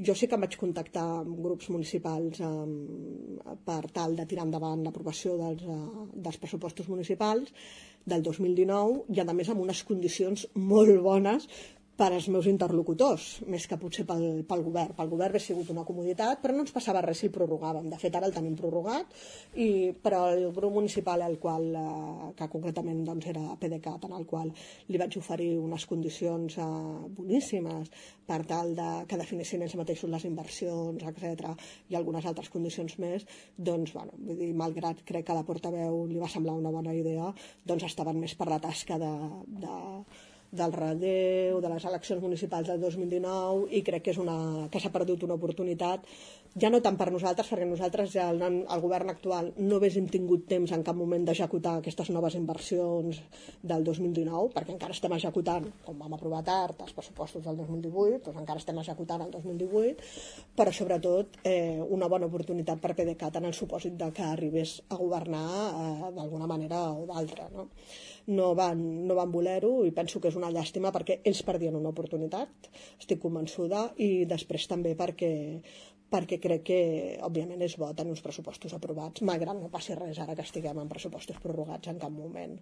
Jo sí que em vaig contactar amb grups municipals per tal de tirar endavant l'aprovació dels pressupostos municipals del 2019 i, a més, amb unes condicions molt bones per als meus interlocutors, més que potser pel govern. Pel govern hauria sigut una comoditat, però no ens passava res si el prorrogàvem. De fet, ara el tenim prorrogat, però el grup municipal, que concretament era PDeCAT, en el qual li vaig oferir unes condicions boníssimes per tal que definissin ells mateixos les inversions, etc., i algunes altres condicions més, doncs, vull dir, malgrat crec que a la portaveu li va semblar una bona idea, doncs estaven més per la tasca del relleu, de les eleccions municipals del 2019, i crec que s'ha perdut una oportunitat, ja no tant per nosaltres, perquè nosaltres ja el govern actual no haguéssim tingut temps en cap moment d'executar aquestes noves inversions del 2019, perquè encara estem executant, com vam aprovar tard els pressupostos del 2018, doncs encara estem executant el 2018, però sobretot una bona oportunitat per PDeCAT en el supòsit de que arribés a governar d'alguna manera o d'altra, no? No van voler-ho, i penso que és una llàstima perquè ells perdien una oportunitat, estic convençuda, i després també perquè crec que, òbviament, és bo tenir uns pressupostos aprovats, malgrat no passi res ara que estiguem en pressupostos prorrogats en cap moment.